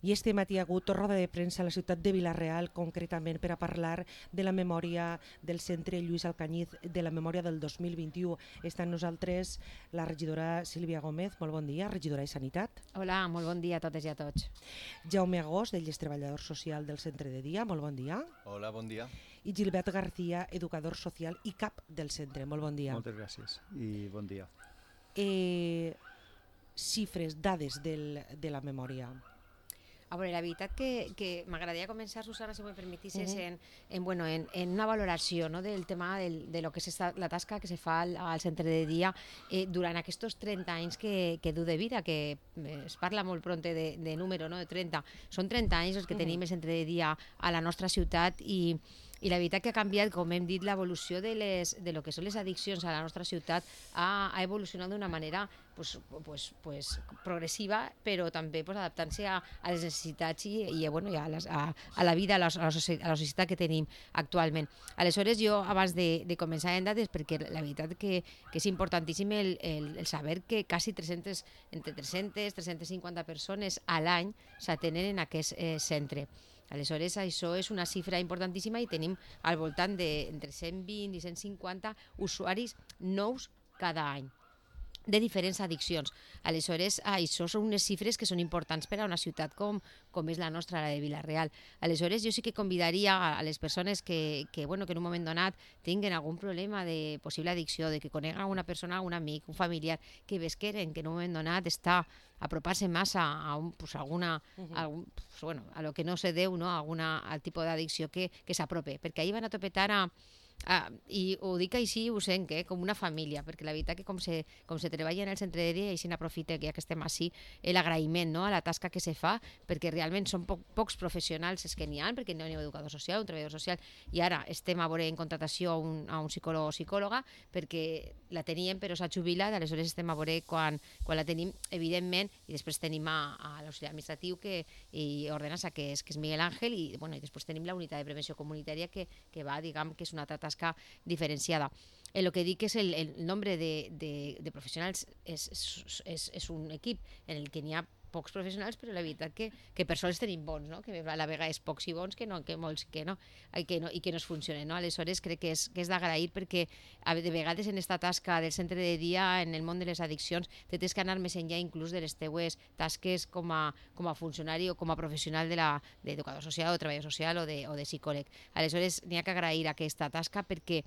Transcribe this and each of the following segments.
I este matí ha hagut roda de premsa a la ciutat de Vila-real, concretament per a parlar de la memòria del centre Lluís Alcañiz, de la memòria del 2021. Està amb nosaltres la regidora Sílvia Gómez. Molt bon dia, regidora de Sanitat. Hola, molt bon dia a totes i a tots. Jaume Agós, d'ell és treballador social del centre de dia. Molt bon dia. Hola, bon dia. I Gilbert García, educador social i cap del centre. Molt bon dia. Moltes gràcies i bon dia. Xifres, dades de la memòria. A veure, la veritat que m'agradaria començar, Susana, si m'ho permetissis, en una valoració, no, del tema de lo que és la tasca que se fa al centre de dia durant aquests 30 anys que du de vida, que es parla molt pront de número, no, de 30. Són 30 anys els que tenim el centre de dia a la nostra ciutat i la veritat que ha canviat, com hem dit, l'evolució de lo que són les addiccions a la nostra ciutat ha evolucionat d'una manera progressiva, però també adaptant-se a les necessitats i a la vida, a la societat que tenim actualment. Aleshores, jo, abans de començar en dades, perquè la veritat que és importantíssim el saber que quasi entre 300-350 persones a l'any s'atenen en aquest centre. Aleshores, això és una xifra importantíssima i tenim al voltant d'entre 120 i 150 usuaris nous cada any de diferents addiccions. Aleshores, això són unes xifres que són importants per a una ciutat com és la nostra, la de Vila-real. Aleshores, jo sí que convidaria a les persones que en un moment donat tinguin algun problema de possible addicció, de que coneguen una persona, un amic, un familiar, que vesqueren que en un moment donat està apropar-se massa a lo que no se deu, no? Al tipus d'addicció que s'aprope, perquè ahir van a topetar i ho dic així, ho sent, com una família, perquè la veritat que com se treballa en el centre de dia, i així n'aprofita que ja que estem així, l'agraïment, no?, a la tasca que se fa, perquè realment són pocs professionals els que n'hi ha, perquè no hi ha un educador social, un treballador social, i ara estem a veure en contratació a un psicòleg o psicòloga, perquè la teníem però s'ha jubilat, aleshores estem a veure quan la tenim, evidentment, i després tenim a l'auxiliar administratiu i ordenança, que és Miguel Ángel, i després tenim la unitat de prevenció comunitària que va, diguem, que és una altra tasca diferenciada. El que dic és el nombre de professionals és un equip en el que n'hi ha pocs professionals, però la veritat que per sols tenim bons, no? Que a la vegada és pocs i bons, que molts que no, i que no es funcionen, no? Aleshores crec que és d'agrair, perquè de vegades en aquesta tasca del centre de dia, en el món de les addiccions, tens que anar més enllà inclús de les teues tasques com a funcionari o com a professional d'educador social o treballador social o de psicòleg. Aleshores n'hi ha que agrair aquesta tasca perquè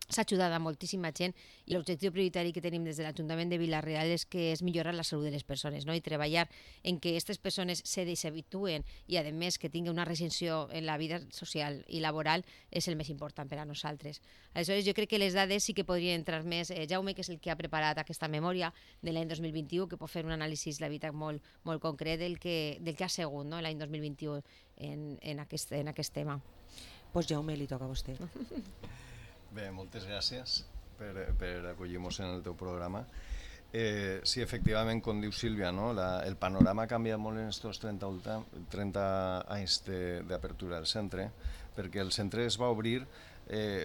s'ha ajudat a moltíssima gent i l'objectiu prioritari que tenim des de l'Ajuntament de Vila-real és millorar la salut de les persones, no? I treballar en que aquestes persones s'habituen i, a més, que tinguin una recensió en la vida social i laboral és el més important per a nosaltres. Aleshores, jo crec que les dades sí que podrien entrar més. Jaume, que és el que ha preparat aquesta memòria de l'any 2021, que pot fer un anàlisi, la veritat, molt concret del que ha sigut, no?, l'any 2021 en aquest tema. Doncs Jaume, li toca a vostè. Bé, moltes gràcies per acollir-nos en el teu programa. Sí, efectivament, com diu Sílvia, no? El panorama ha canviat molt en aquests 30 anys d'apertura del centre, perquè el centre es va obrir,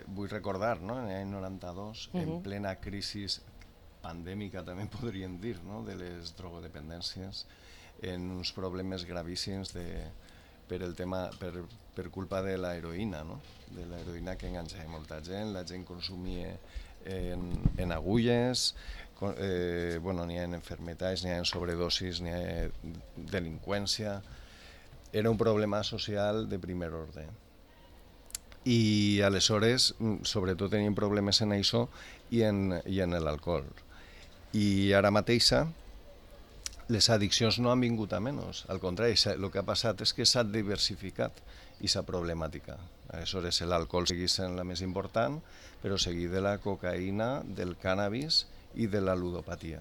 vull recordar, no? En l'any 92, en plena crisi pandèmica, també podríem dir, no? De les drogodependències, en uns problemes gravíssims per culpa de l'heroïna, no? De l'heroïna que enganxava molta gent, la gent consumia en agulles, n'hi ha enfermetats, n'hi ha sobredosis, n'hi ha delinqüència. Era un problema social de primer ordre. I aleshores, sobretot tenim problemes en això i en l'alcohol. I ara mateixa, les addiccions no han vingut a menys, al contrari, el que ha passat és que s'ha diversificat aquesta problemàtica. Aleshores, l'alcohol segueix sent la més important, però seguit de la cocaïna, del cànnabis i de la ludopatia,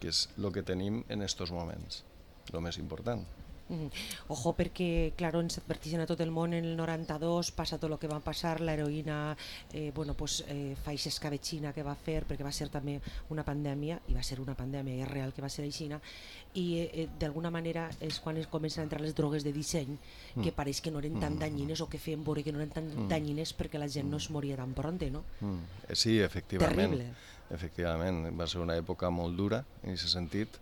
que és el que tenim en aquests moments, el més important. Ojo, perquè, claro, ens adverteixen a tot el món en el 92, passa tot el que va passar, l'heroïna fa aquesta escabetxina que va fer, perquè va ser també una pandèmia, i va ser una pandèmia, i és real que va ser aixina, i d'alguna manera és quan comencen a entrar les drogues de disseny, que pareix que no eren tan danyines, o que feien veure que no eren tan danyines perquè la gent no es moria tan pronte, no? Sí, efectivament. Terrible. Efectivament, va ser una època molt dura, en aquest sentit.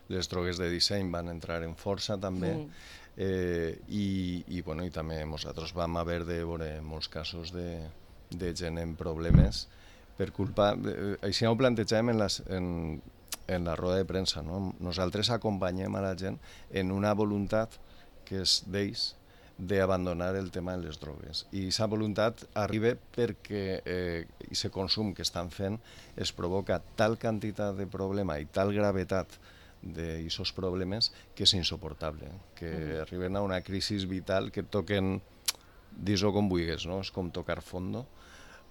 Les drogues de disseny van entrar en força també. I també nosaltres vam haver de veure molts casos de gent en problemes per culpa... Així ho plantegem en la roda de premsa, no? Nosaltres acompanyem a la gent en una voluntat que és d'ells d'abandonar el tema de les drogues. I aquesta voluntat arriba perquè aquest consum que estan fent es provoca tal quantitat de problema i tal gravetat d'aquests problemes que és insoportable, que arriben a una crisi vital que toquen, dis-ho com vulguis, no? És com tocar fondo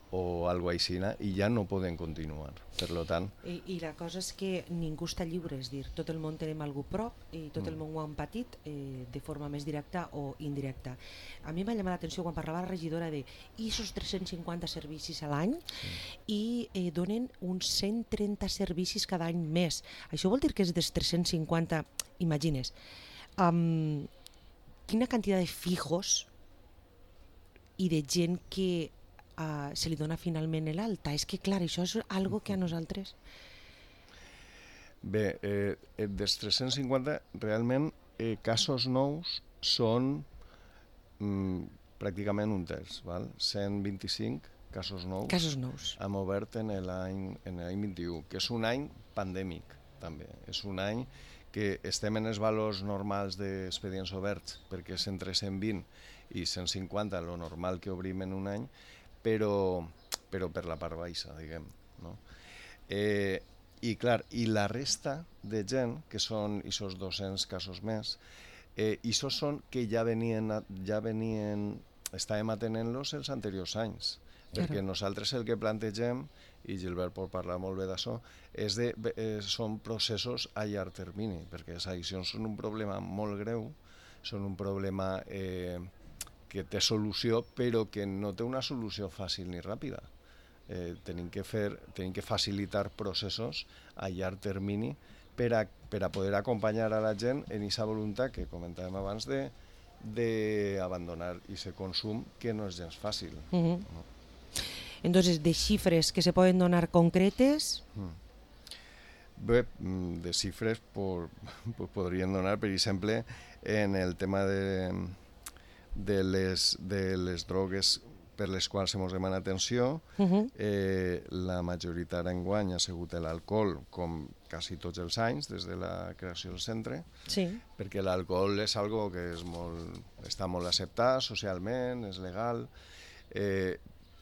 o alguna cosa així, i ja no poden continuar. Per tant... I la cosa és que ningú està lliure, és dir, tot el món tenim algú prop i tot el món ho han patit de forma més directa o indirecta. A mi m'ha llamat l'atenció quan parlava la regidora de aquests 350 servicis a l'any i donen uns 130 servicis cada any més. Això vol dir que és dels 350, imagines, quina quantitat de fijos i de gent que se li dona finalment l'alta. És que, clar, això és algo que a nosaltres... Bé, dels 350, realment, casos nous són pràcticament un terç, val? 125 casos nous hem obert en l'any 21, que és un any pandèmic, també. És un any que estem en els valors normals d'expedients oberts, perquè és entre 120 i 150, lo normal que obrim en un any, però per la part baixa, diguem. No? I clar, i la resta de gent, que són aquests 200 casos més, aquests són que ja venien estàvem atenent-los els anteriors anys, perquè nosaltres el que plantegem, i Gilbert pot parlar molt bé d'això, són processos a llarg termini, perquè les addiccions són un problema molt greu, són un problema que té solució, però que no té una solució fàcil ni ràpida. Tenim que facilitar processos a llarg termini per a poder acompanyar a la gent en aquesta voluntat que comentàvem abans d'abandonar aquest consum, que no és gens fàcil. Entonces, de xifres que se poden donar concretes... Bé, de xifres podríem donar, per exemple, en el tema de les drogues per les quals hem demanat atenció. La majoritat enguany ha sigut l'alcohol, com quasi tots els anys, des de la creació del centre, perquè l'alcohol és algo que està molt acceptat socialment, és legal,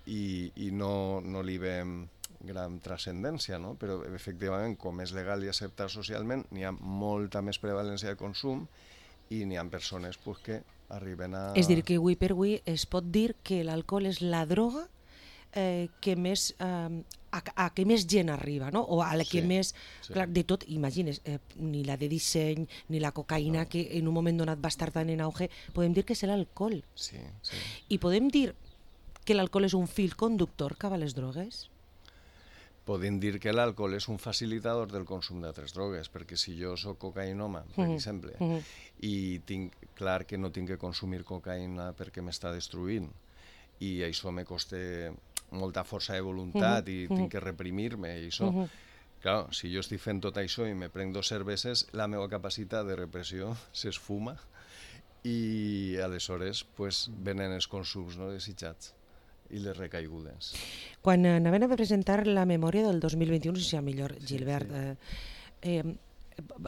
i no li veiem gran transcendència, no? Però efectivament, com és legal i acceptat socialment, n'hi ha molta més prevalència de consum i n'hi ha persones que arriben a... És dir, que avui per avui es pot dir que l'alcohol és la droga que més... a què més gent arriba, no? O a la que més... Clar, de tot, imagines, ni la de disseny, ni la cocaïna, que en un moment donat va estar tan en auge, podem dir que és l'alcohol. Sí. I podem dir que l'alcohol és un fil conductor cap a les drogues? Podem dir que l'alcohol és un facilitador del consum d'altres drogues, perquè si jo soc cocaïnoma, per exemple, i tinc clar que no tinc que consumir cocaïna perquè m'està destruint, i això me costa molta força de voluntat i tinc que reprimir-me, i això... Clar, si jo estic fent tot això i me prenc 2 cerveses, la meva capacitat de repressió s'esfuma i aleshores venen els consums no desitjats i les recaigudes. Quan anaven a presentar la memòria del 2021, no sé si millor, Gilbert,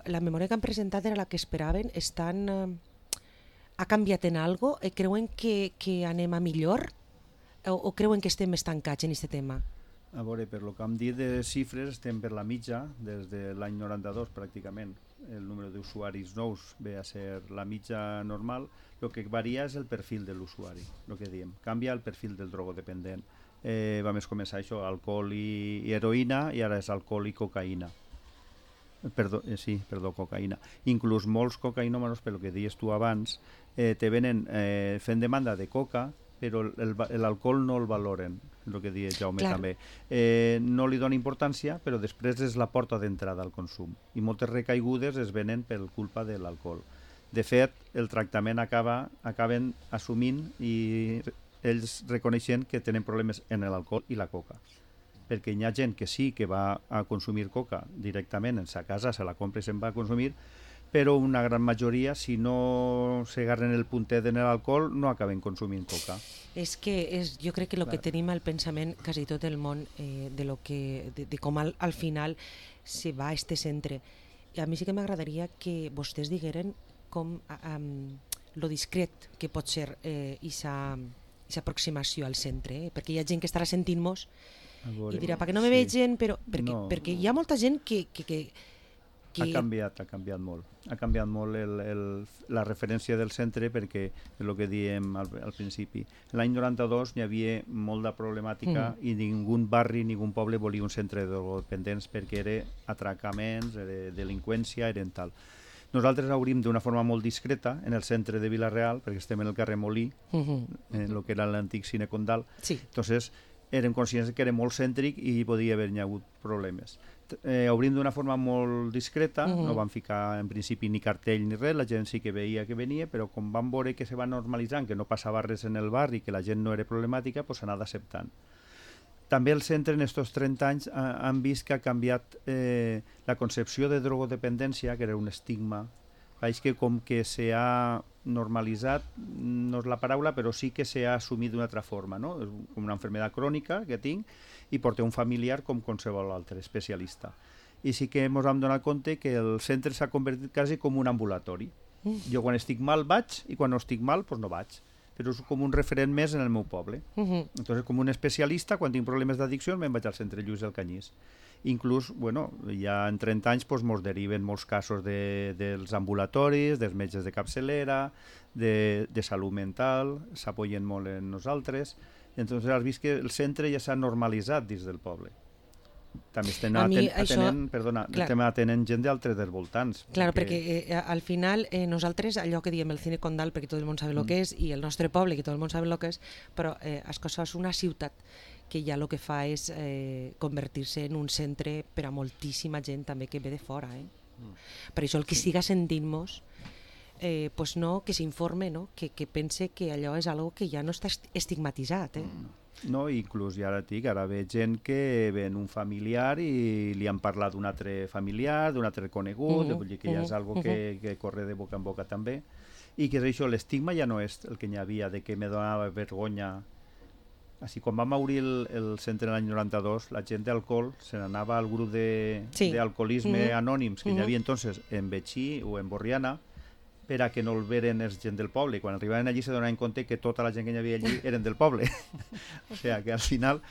la memòria que han presentat era la que esperaven, ha canviat en algo? Creuen que anem a millor? O creuen que estem estancats en aquest tema? A veure, per lo que hem dit de xifres, estem per la mitja, des de l'any 92 pràcticament. El número d'usuaris nous ve a ser la mitja normal. El que varia és el perfil de l'usuari, el que diem. Canvia el perfil del drogodependent. Vam començar això, alcohol i heroïna, i ara és alcohol i cocaïna. Perdó, cocaïna. Inclús molts cocaïnòmanos, pel que dius tu abans, te venen fent demanda de coca, però l'alcohol no el valoren, el que dius Jaume també. No li dona importància, però després és la porta d'entrada al consum. I moltes recaigudes es venen per culpa de l'alcohol. De fet, el tractament acaben assumint i ells reconeixen que tenen problemes en l'alcohol i la coca. Perquè hi ha gent que sí que va a consumir coca directament en sa casa, se la compra i se'n va a consumir, però una gran majoria, si no s'agarren el puntet en l'alcohol, no acaben consumint coca. És que jo crec que el que tenim al pensament quasi tot el món de com al final se va a este centre. I a mi sí que m'agradaria que vostès digueren com lo discret que pot ser aquesta aproximació al centre, perquè hi ha gent que estarà sentint-nos i dirà, perquè no me vegen, però perquè hi ha molta gent que ha canviat molt. Ha canviat molt la referència del centre perquè és el que diem al principi. L'any 92 hi havia molta problemàtica i ningú barri, ningú poble volia un centre de drogodependents perquè era atracaments, era delinqüència, eren tal. Nosaltres obrim d'una forma molt discreta en el centre de Vila-real, perquè estem en el carrer Molí, en el que era l'antic Cine Condal. Entonces, érem conscients que era molt cèntric i podia haver-hi hagut problemes. Obrim d'una forma molt discreta, no vam ficar en principi ni cartell ni res, la gent sí que veia que venia, però com vam veure que se va normalitzant, que no passava res en el barri, que la gent no era problemàtica, doncs s'ha anat acceptant. També el centre en aquests 30 anys han vist que ha canviat la concepció de drogodependència, que era un estigma, és que com que s'ha normalitzat, no és la paraula, però sí que s'ha assumit d'una altra forma, no? És com una malaltia crònica que tinc i porta un familiar com qualsevol altre especialista. I sí que ens hem donat compte que el centre s'ha convertit quasi com un ambulatori. Jo quan estic mal vaig i quan no estic mal doncs no vaig. Però és com un referent més en el meu poble. Entonces, com un especialista, quan tinc problemes d'addicció, me'n vaig al centre Lluís del Canyís. Inclús, bueno, ja en 30 anys ens deriven molts casos dels ambulatoris, dels metges de capçalera, de salut mental, s'apoyen molt en nosaltres. Entonces has vist que el centre ja s'ha normalitzat dins del poble. També estem atenent gent d'altres dels voltants. Clar, perquè al final nosaltres, allò que diem el Cine Condal, perquè tot el món sabe el que és, i el nostre poble, que tot el món sabe el que és, però Ascossa és una ciutat que ja el que fa és convertir-se en un centre per a moltíssima gent també que ve de fora. Per això el que siga sentint-nos, pues no, que s'informe, no? Que pense que allò és algo que ja no està estigmatitzat. No, inclús ja ara dic, ara ve gent que ven un familiar i li han parlat d'un altre familiar, d'un altre conegut, vull dir que ja és algo que corre de boca en boca també, i que és això, l'estigma ja no és el que hi havia de que me donava vergonya. Així, quan vam obrir el centre l'any 92, la gent d'alcohol se n'anava al grup d'alcoholisme anònims que hi havia entonces en Betxí o en Borriana, per a que no el veren els gent del poble. Quan arribaven allí se donaven compte que tota la gent que hi havia allí eren del poble. O sigui, que al final...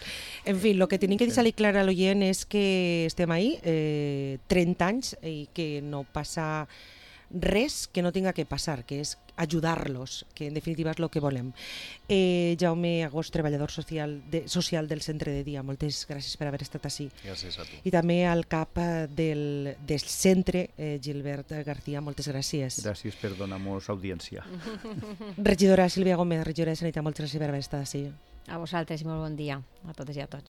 En fi, el que tenim que deixar-li clar a l'oient és que estem ahí 30 anys i que no passa res que no tinga que passar, que és ajudar-los, que en definitiva és el que volem. Jaume Agost, treballador social del centre de dia, moltes gràcies per haver estat ací. Gràcies a tu. I també al cap del centre, Gilbert García, moltes gràcies. Gràcies per donar-nos audiència. Regidora Sílvia Gómez, regidora de Sanitat, moltes gràcies per haver estat ací. A vosaltres i molt bon dia a totes i a tots.